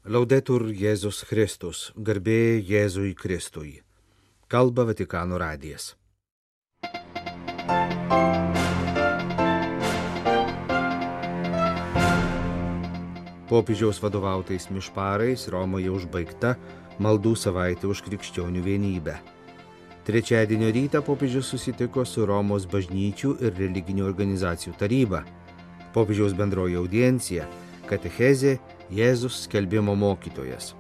Laudetur Jėzus Kristus, garbė Jėzui Kristui. Kalba Vatikano radijas. Popiežiaus vadovautais mišparais Romoje užbaigta maldų savaitė už krikščionių vienybę. Trečiadienio rytą popiežius susitiko su Romos bažnyčių ir religinių organizacijų taryba. Popiežiaus bendroji audiencija – katechezė Jėzus skelbimo mokytojas.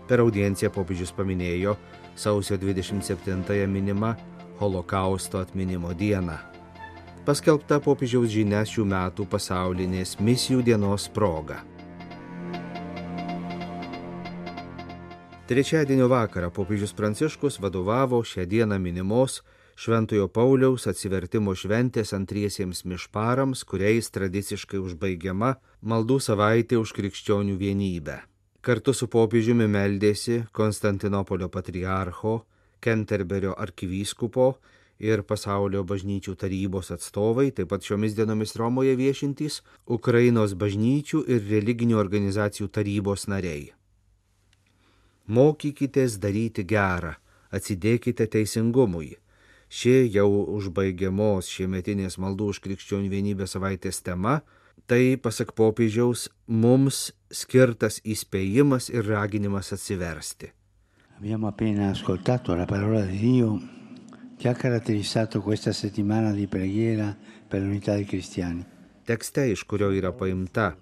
Per audienciją popiežius paminėjo sausio 27-ąją minimą Holokausto atminimo dieną. Paskelbta popiežiaus žinia šių metų pasaulinės misijų dienos proga. Trečiadienio vakarą popiežius Pranciškus vadovavo šią dieną minimos Šventojo Pauliaus atsivertimo šventės antriesiems mišparams, kuriais tradiciškai užbaigiama maldų savaitė už krikščionių vienybę. Kartu su popiežiumi meldėsi Konstantinopolio patriarcho, Kenterberio arkivyskupo ir pasaulio bažnyčių tarybos atstovai, taip pat šiomis dienomis Romoje viešintys Ukrainos bažnyčių ir religinių organizacijų tarybos nariai. Mokykitės daryti gerą, atsidėkite teisingumui. Ši jau užbaigiamos šiemetinės maldų už krikščionių vienybę savaitės tema, tai, pasak popiežiaus, mums skirtas įspėjimas ir raginimas atsiversti. Abbiamo appena ascoltato la parola di Dio che ha caratterizzato questa settimana di preghiera per l'unità dei cristiani. Tekste, iš kurio yra paimta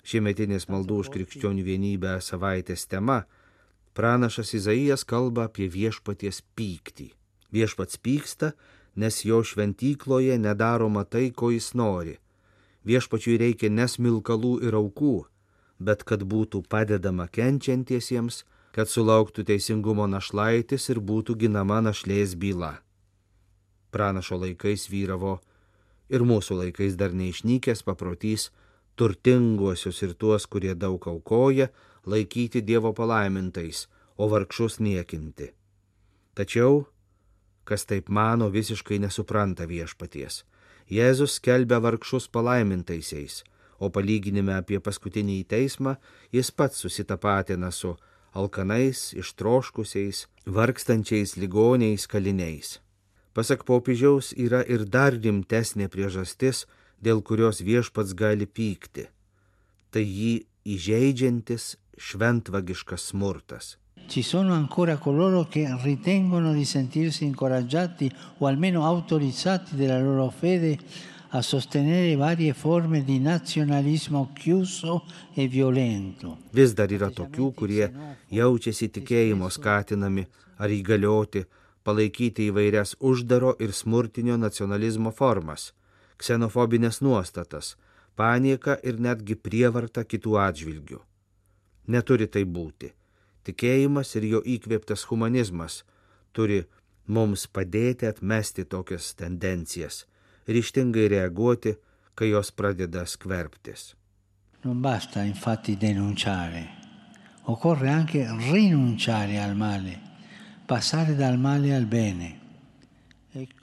šiemetinės maldų už krikščionių vienybę savaitės tema, pranašas Izaijas kalba apie viešpaties pyktį. Viešpats pyksta, nes jo šventykloje nedaroma tai, ko jis nori. Viešpačiui reikia ne smilkalų ir aukų, bet kad būtų padedama kenčiantiesiems, kad sulauktų teisingumo našlaitis ir būtų ginama našlės byla. Pranašo laikais vyravo ir mūsų laikais dar neišnykęs paprotys turtinguosius ir tuos, kurie daug aukoja, laikyti Dievo palaimintais, o vargšus niekinti. Tačiau, kas taip mano, visiškai nesupranta viešpaties. Jėzus skelbia vargšus palaimintaisiais, o palyginime apie paskutinį teismą jis pats susitapatina su alkanais, ištroškusiais, vargstančiais ligoniais, kaliniais. Pasak popiežiaus yra ir dar rimtesnė priežastis, dėl kurios viešpats gali pykti. Tai jį įžeidžiantis šventvagiškas smurtas. Ci sono ancora coloro che ritengono di sentirsi incoraggiati o almeno autorizzati della loro fede a sostenere varie forme di nazionalismo chiuso e violento. Vis dar yra tokių, kurie jaučiasi tikėjimo skatinami ar įgalioti palaikyti įvairias uždaro ir smurtinio nacionalizmo formas, ksenofobinės nuostatas, panieką ir netgi prievartą kitų atžvilgių. Neturi tai būti. Tikėjimas ir jo įkvėptas humanizmas turi mums padėti atmesti tokias tendencijas, ryžtingai reaguoti, kai jos pradeda skverbtis. Non basta infatti denunciare, occorre anche rinunciare al male, passare dal male al bene.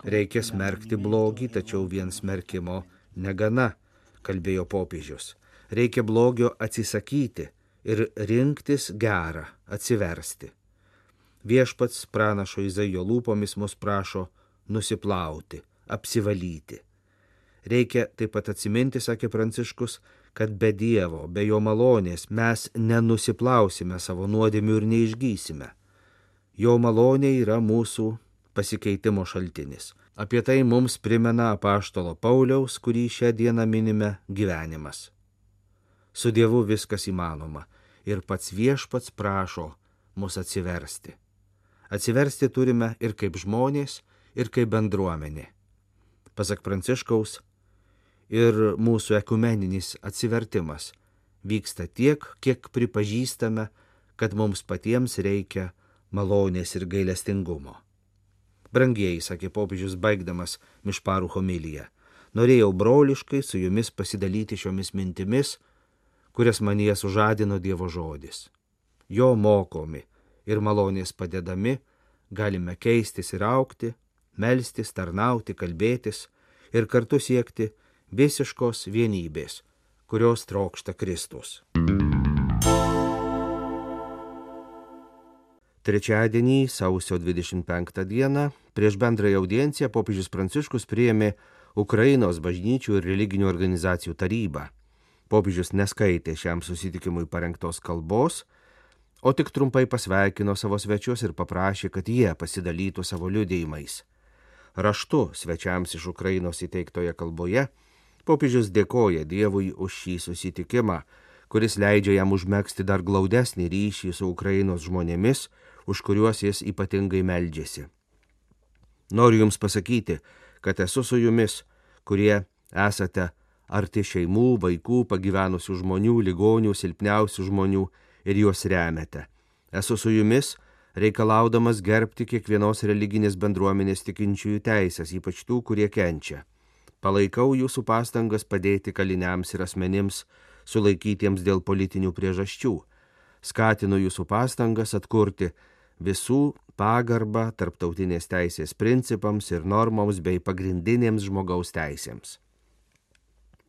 Reikia smerkti blogį, tačiau vien smerkimo negana, kalbėjo popiežius. Reikia blogio atsisakyti ir rinktis gerą, atsiversti. Viešpats pranašo Izaijo lūpomis mus prašo nusiplauti, apsivalyti. Reikia taip pat atsiminti, sakė Pranciškus, kad be Dievo, be jo malonės mes nenusiplausime savo nuodėmių ir neišgysime. Jo malonė yra mūsų pasikeitimo šaltinis. Apie tai mums primena apaštalo Pauliaus, kurį šią dieną minime, gyvenimas. Su Dievu viskas įmanoma ir pats viešpats prašo mus atsiversti. Atsiversti turime ir kaip žmonės, ir kaip bendruomenė. Pasak Pranciškaus, ir mūsų ekumeninis atsivertimas vyksta tiek, kiek pripažįstame, kad mums patiems reikia malonės ir gailestingumo. Brangieji, sakė popiežius baigdamas mišparų homiliją, norėjau broliškai su jumis pasidalyti šiomis mintimis, kurias manyje sužadino Dievo žodis. Jo mokomi ir malonės padedami galime keistis ir augti, melstis, tarnauti, kalbėtis ir kartu siekti visiškos vienybės, kurios trokšta Kristus. Trečiadienį, sausio 25 dieną, prieš bendrąją audienciją popiežius Pranciškus priėmė Ukrainos bažnyčių ir religinių organizacijų tarybą. Popiežius neskaitė šiam susitikimui parengtos kalbos, o tik trumpai pasveikino savo svečius ir paprašė, kad jie pasidalytų savo liudijimais. Raštu svečiams iš Ukrainos įteiktoje kalboje popiežius dėkoja Dievui už šį susitikimą, kuris leidžia jam užmegzti dar glaudesnį ryšį su Ukrainos žmonėmis, už kuriuos jis ypatingai meldžiasi. Noriu jums pasakyti, kad esu su jumis, kurie esate arti šeimų, vaikų, pagyvenusių žmonių, ligonių, silpniausių žmonių ir juos remiate. Esu su jumis, reikalaudamas gerbti kiekvienos religinės bendruomenės tikinčiųjų teisės, ypač tų, kurie kenčia. Palaikau jūsų pastangas padėti kaliniams ir asmenims sulaikytiems dėl politinių priežasčių. Skatinu jūsų pastangas atkurti visų pagarbą tarptautinės teisės principams ir normoms bei pagrindinėms žmogaus teisėms.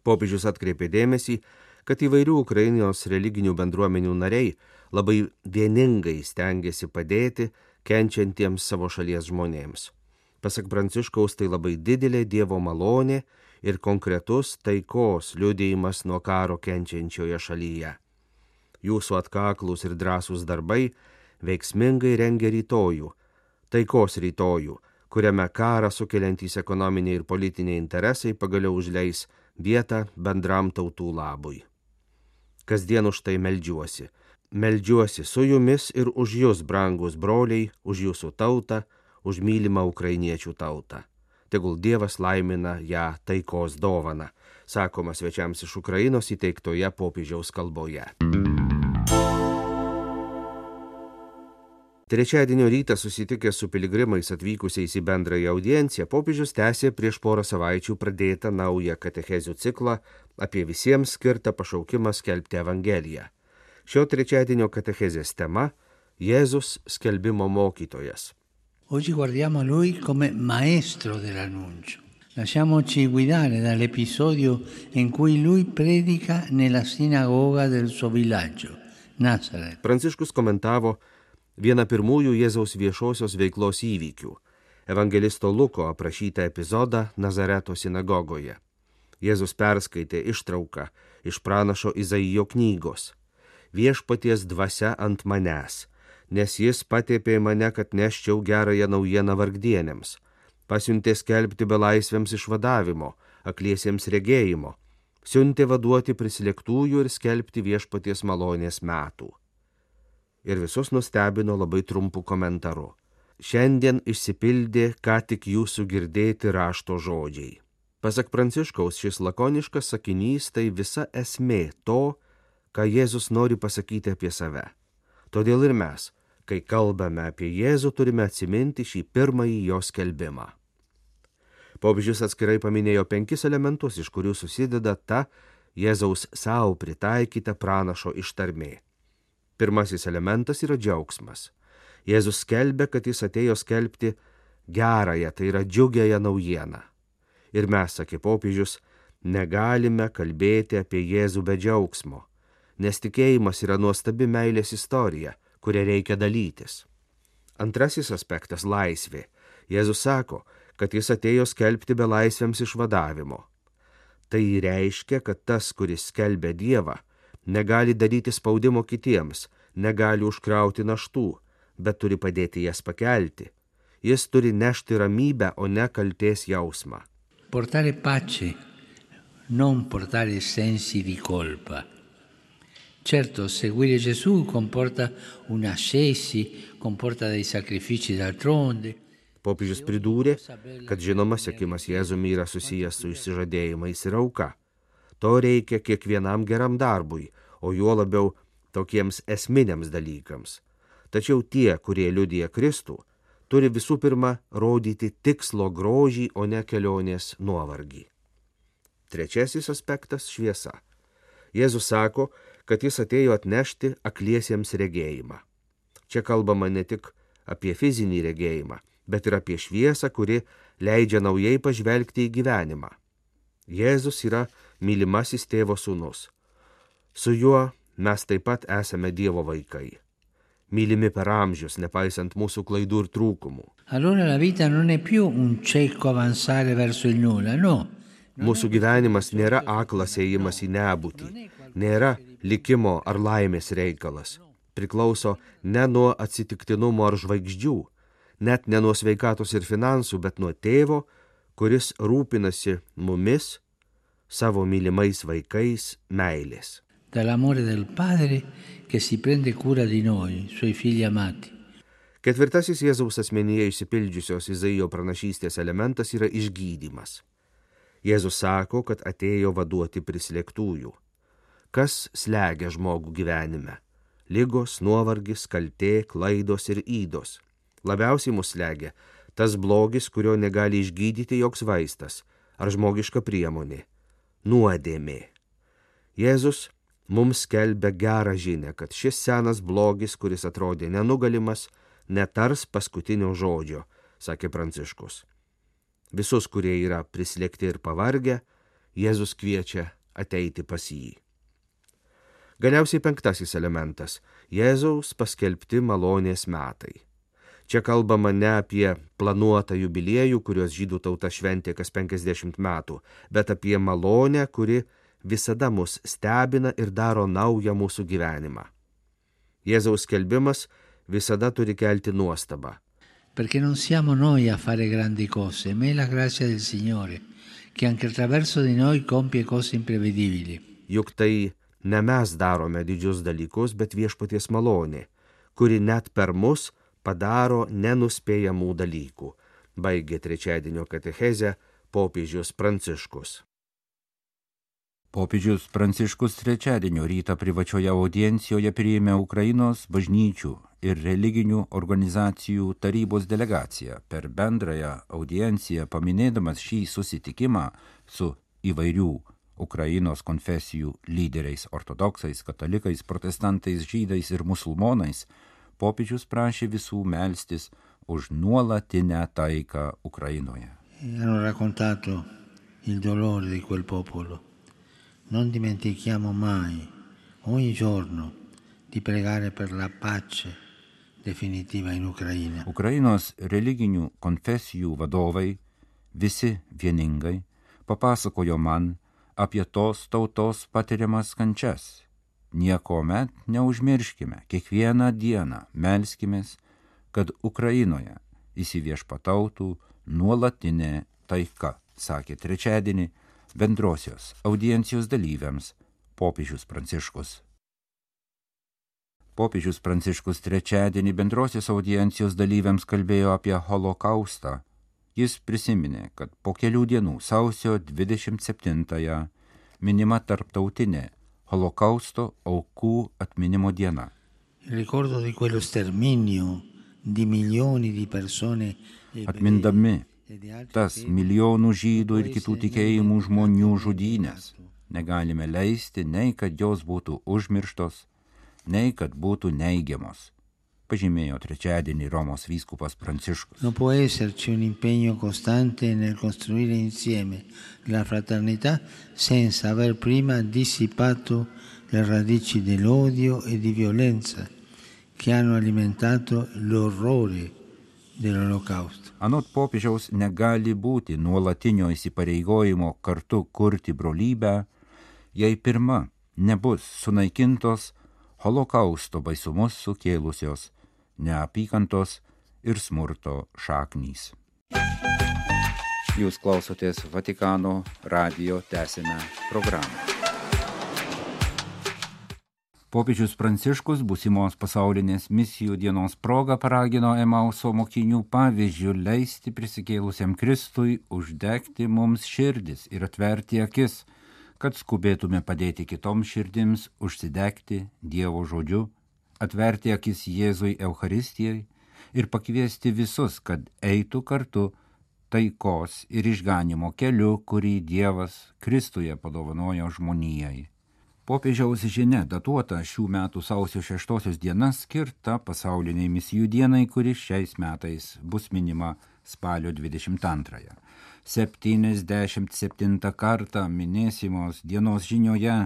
Popiežius atkreipė dėmesį, kad įvairių Ukrainos religinių bendruomenių nariai labai vieningai stengiasi padėti kenčiantiems savo šalies žmonėms. Pasak Pranciškaus, tai labai didelė Dievo malonė ir konkretus taikos liudijimas nuo karo kenčiančioje šalyje. Jūsų atkaklus ir drąsūs darbai veiksmingai rengia rytojų, taikos rytojų, kuriame karą sukeliantys ekonominiai ir politiniai interesai pagaliau užleis vietą bendram tautų labui. Kasdien už tai meldžiuosi. Meldžiuosi su jumis ir už jūs, brangus broliai, už jūsų tautą, už mylimą ukrainiečių tautą. Tegul Dievas laimina ją taikos dovaną, sakoma svečiams iš Ukrainos įteiktoje popiežiaus kalboje. Trečiadienio rytą susitikęs su piligrimais atvykusiais į bendrąją audienciją, popiežius tęsė prieš porą savaičių pradėtą naują katechezių ciklą apie visiems skirtą pašaukimą skelbti Evangeliją. Šio trečiadienio katechezės tema – Jėzus skelbimo mokytojas. Oggi guardiamo lui come maestro dell'annuncio. Lasciamoci guidare dall'episodio in cui lui predica nella sinagoga del suo villaggio, Nazaret. Pranciškus komentavo vieną pirmųjų Jėzaus viešosios veiklos įvykių – evangelisto Luko aprašytą epizodą Nazareto sinagogoje. Jėzus perskaitė ištrauką iš pranašo Izaijo knygos. Viešpaties dvasia ant manęs, nes jis patepė mane, kad neščiau gerąją naujieną vargdienėms, pasiuntė skelbti belaisviams išvadavimo, akliesiems regėjimo, siuntė vaduoti prislėgtųjų ir skelbti viešpaties malonės metų. Ir visus nustebino labai trumpu komentaru. Šiandien išsipildė ką tik jūsų girdėti rašto žodžiai. Pasak Pranciškaus, šis lakoniškas sakinys tai visa esmė to, ką Jėzus nori pasakyti apie save. Todėl ir mes, kai kalbame apie Jėzų, turime atsiminti šį pirmąjį jo skelbimą. Popiežius atskirai paminėjo 5 elementus, iš kurių susideda ta Jėzaus savo pritaikyta pranašo ištarmė. Pirmasis elementas yra džiaugsmas. Jėzus skelbia, kad jis atėjo skelbti gerąją, tai yra džiugiąją naujieną. Ir mes, sakė popiežius, negalime kalbėti apie Jėzų be džiaugsmo, nes tikėjimas yra nuostabi meilės istorija, kuria reikia dalytis. Antrasis aspektas – laisvė. Jėzus sako, kad jis atėjo skelbti belaisviams išvadavimo. Tai reiškia, kad tas, kuris skelbia Dievą, negali daryti spaudimo kitiems, negali užkrauti naštų, bet turi padėti jas pakelti. Jis turi nešti ramybę, o ne kaltės jausmą. Portare pace, non portare sensi di colpa. Certo, seguire Gesù comporta un'ascesi, comporta dei sacrifici d'altronde. Popiežius pridūrė, kad žinoma sekimas Jėzumi yra susijęs su išsižadėjimais ir auka. To reikia kiekvienam geram darbui, o juo labiau tokiems esminiams dalykams. Tačiau tie, kurie liudija Kristų, turi visų pirma rodyti tikslo grožį, o ne kelionės nuovargį. Trečiasis aspektas – šviesa. Jėzus sako, kad jis atėjo atnešti akliesiems regėjimą. Čia kalbama ne tik apie fizinį regėjimą, bet ir apie šviesą, kuri leidžia naujai pažvelgti į gyvenimą. Jėzus yra mylimasis tėvo sūnus. Su juo mes taip pat esame Dievo vaikai. mylimi per amžius, nepaisant mūsų klaidų ir trūkumų. Allora la vita non è più un cieco avanzare verso il nulla, no. Mūsų gyvenimas nėra aklas ėjimas į nebūtį, nėra likimo ar laimės reikalas. Priklauso ne nuo atsitiktinumo ar žvaigždžių, net ne nuo sveikatos ir finansų, bet nuo tėvo, kuris rūpinasi mumis, savo mylimais vaikais, meilės. Dall'amore del Padre che si prende cura di noi, suoi figli amati. Ketvirtasis Jėzaus asmenyje išsipildžiusios Izaijo pranašystės elementas yra išgydymas. Jėzus sako, kad atėjo vaduoti prislėgtųjų. Kas slegia žmogų gyvenime? Ligos, nuovargis, kaltė, klaidos ir ydos. Labiausiai mus slegia tas blogis, kurio negali išgydyti joks vaistas ar žmogiška priemonė – nuodėmė. Jėzus mums skelbia gerą žinią, kad šis senas blogis, kuris atrodė nenugalimas, netars paskutinio žodžio, sakė Pranciškus. Visus, kurie yra prislėgti ir pavargę, Jėzus kviečia ateiti pas jį. Galiausiai penktasis elementas – Jėzaus paskelbti malonės metai. Čia kalbama ne apie planuotą jubiliejų, kurios žydų tauta šventė kas 50 metų, bet apie malonę, kuri visada mus stebina ir daro naują mūsų gyvenimą. Jėzaus skelbimas visada turi kelti nuostabą. Perché non siamo noi a fare grandi cose, ma è la grazia del Signore, che anche attraverso di noi compie cose imprevedibili. Juk tai ne mes darome didžius dalykus, bet viešpaties malonė, kuri net per mus padaro nenuspėjamų dalykų, baigė trečiadienio katechezę popiežius Pranciškus. Popiežius Pranciškus trečiadienio rytą privačioje audiencijoje priėmė Ukrainos bažnyčių ir religinių organizacijų tarybos delegaciją. Per bendrąją audienciją paminėdamas šį susitikimą su įvairių Ukrainos konfesijų lyderiais, ortodoksais, katalikais, protestantais, žydais ir musulmonais, popiežius prašė visų melstis už nuolatinę taiką Ukrainoje. Hanno raccontato il dolore di quel popolo. Non dimentichiamo mai, ogni giorno, di pregare per la pace definitiva in Ucraina. Ukrainos religinių konfesijų vadovai, visi vieningai, papasakojo man apie tos tautos patiriamas kančias. Niekuomet neužmirškime, kiekvieną dieną melskimės, kad Ukrainoje įsiviešpatautų nuolatinė taika, sakė trečiadienį bendrosios audiencijos dalyviams popiežius Pranciškus. Popiežius Pranciškus trečiadienį bendrosios audiencijos dalyviams kalbėjo apie holokaustą. Jis prisiminė, kad po kelių dienų sausio 27-ąją minima tarptautinė holokausto aukų atminimo diena. Ricordo di quello sterminio di milioni di persone. Atmindami tas milijonų žydų ir kitų tikėjimų žmonių žudynės, negalime leisti nei kad jos būtų užmirštos, nei kad būtų neigiamos, pažymėjo trečiadienį Romos vyskupas Pranciškus. Non può esserci un impegno costante nel costruire insieme la fraternità senza aver prima dissipato le radici dell'odio e di violenza che hanno alimentato l'orrore dell'olocausto. Anot popiežiaus negali būti nuolatinio įsipareigojimo kartu kurti brolybę, jei pirma nebus sunaikintos holokausto baisumus sukėlusios neapykantos ir smurto šaknys. Jūs klausotės Vatikano radijo tęsinę programą. Popiežius Pranciškus būsimos pasaulinės misijų dienos proga paragino Emauso mokinių pavyzdžių leisti prisikėlusiam Kristui uždegti mums širdis ir atverti akis, kad skubėtume padėti kitoms širdims užsidegti Dievo žodžiu, atverti akis Jėzui Eucharistijai ir pakviesti visus, kad eitų kartu taikos ir išganimo keliu, kurį Dievas Kristuje padovanojo žmonijai. Popiežiaus žinia datuota šių metų sausio 6 diena skirta pasauliniai misijų dienai, kuri šiais metais bus minima spalio 22. 77 kartą minėsimos dienos žinioje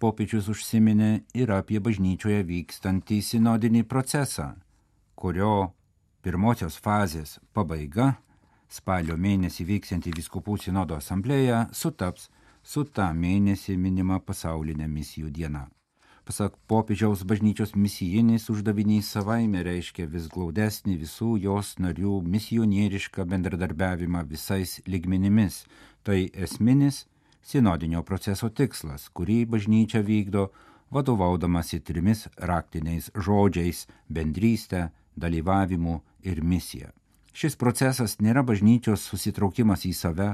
popiežius užsiminė ir apie bažnyčioje vykstantį sinodinį procesą, kurio pirmosios fazės pabaiga, spalio mėnesį vyksianti vyskupų sinodo asamblėja, sutaps su tą mėnesį minima pasaulinė misijų diena. Pasak popiežiaus, bažnyčios misijinis uždavinys savaime reiškia vis glaudesnį visų jos narių misionierišką bendradarbiavimą visais lygmenimis. Tai esminis sinodinio proceso tikslas, kurį bažnyčia vykdo vadovaudamasi 3 raktiniais žodžiais – bendrystę, dalyvavimu ir misija. Šis procesas nėra bažnyčios susitraukimas į save,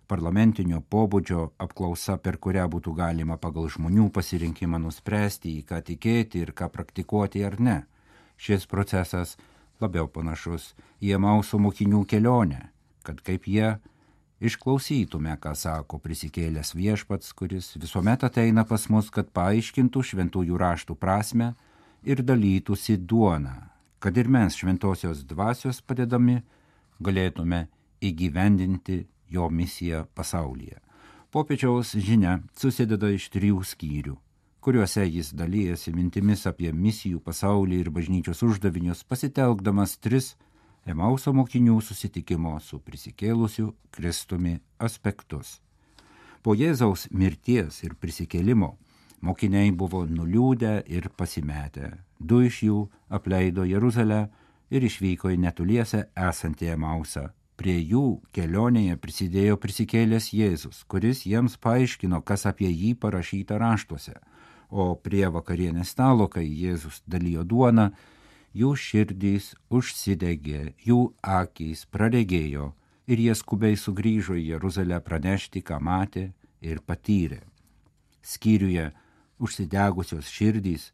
parlamentinio pobūdžio apklausa, per kurią būtų galima pagal žmonių pasirinkimą nuspręsti, į ką tikėti ir ką praktikuoti ar ne. Šis procesas labiau panašus į Emauso mokinių kelionę, kad kaip jie išklausytume, ką sako prisikėlęs viešpats, kuris visuomet ateina pas mus, kad paaiškintų šventųjų raštų prasmę ir dalytųsi duoną, kad ir mes šventosios dvasios padedami galėtume įgyvendinti jo misiją pasaulyje. Popiežiaus žinia susideda iš 3 skyrių, kuriuose jis dalyjasi mintimis apie misijų pasaulį ir bažnyčios uždavinius, pasitelkdamas 3 Emauso mokinių susitikimo su prisikėlusiu Kristumi aspektus. Po Jėzaus mirties ir prisikėlimo mokiniai buvo nuliūdę ir pasimetę. 2 iš jų apleido Jeruzalę ir išvyko į netoliese esantį Emausą. Prie jų kelionėje prisidėjo prisikėlęs Jėzus, kuris jiems paaiškino, kas apie jį parašyta raštuose. O prie vakarienės stalo, kai Jėzus dalijo duoną, jų širdys užsidegė, jų akys praregėjo ir jie skubiai sugrįžo į Jeruzalę pranešti, ką matė ir patyrė. Skyriuje užsidegusios širdys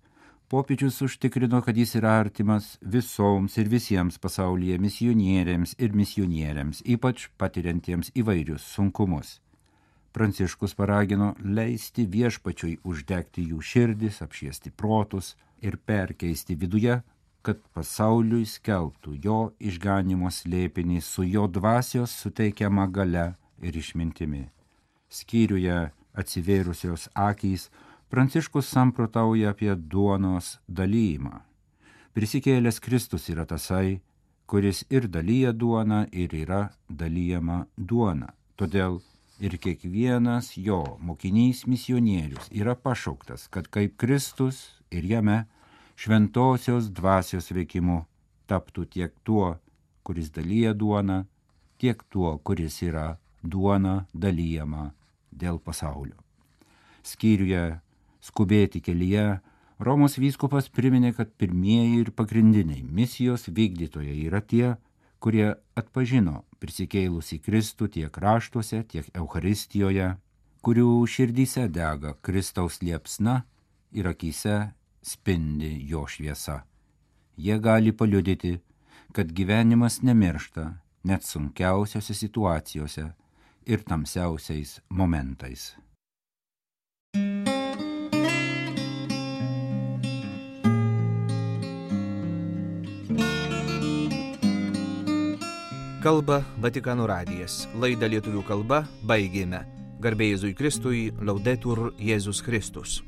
popiežius užtikrino, kad jis yra artimas visoms ir visiems pasaulyje misionieriams ir misionieriams, ypač patiriantiems įvairius sunkumus. Pranciškus paragino leisti viešpačiui uždegti jų širdis, apšviesti protus ir perkeisti viduje, kad pasauliui skelbtų jo išganimo slėpinį su jo dvasios suteikiama galia ir išmintimi. Skyriuje atsivėrusios akys Pranciškus samprotauja apie duonos dalyjimą. Prisikėlęs Kristus yra tasai, kuris ir dalyja duoną ir yra dalyjama duona. Todėl ir kiekvienas jo mokinys misionierius yra pašauktas, kad kaip Kristus ir jame šventosios dvasios veikimu taptų tiek tuo, kuris dalyja duoną, tiek tuo, kuris yra duona dalyjama dėl pasaulio. Skyriuje skubėti kelyje Romos vyskupas priminė, kad pirmieji ir pagrindiniai misijos vykdytojai yra tie, kurie atpažino prisikėlusį Kristų tiek raštuose, tiek Eucharistijoje, kurių širdyse dega Kristaus liepsna ir akyse spindi jo šviesa. Jie gali paliudyti, kad gyvenimas nemiršta net sunkiausiose situacijose ir tamsiausiais momentais. Kalba Vatikano radijas. Laidą lietuvių kalba baigėme. Garbė Jėzui Kristui, Laudetur Jėzus Kristus.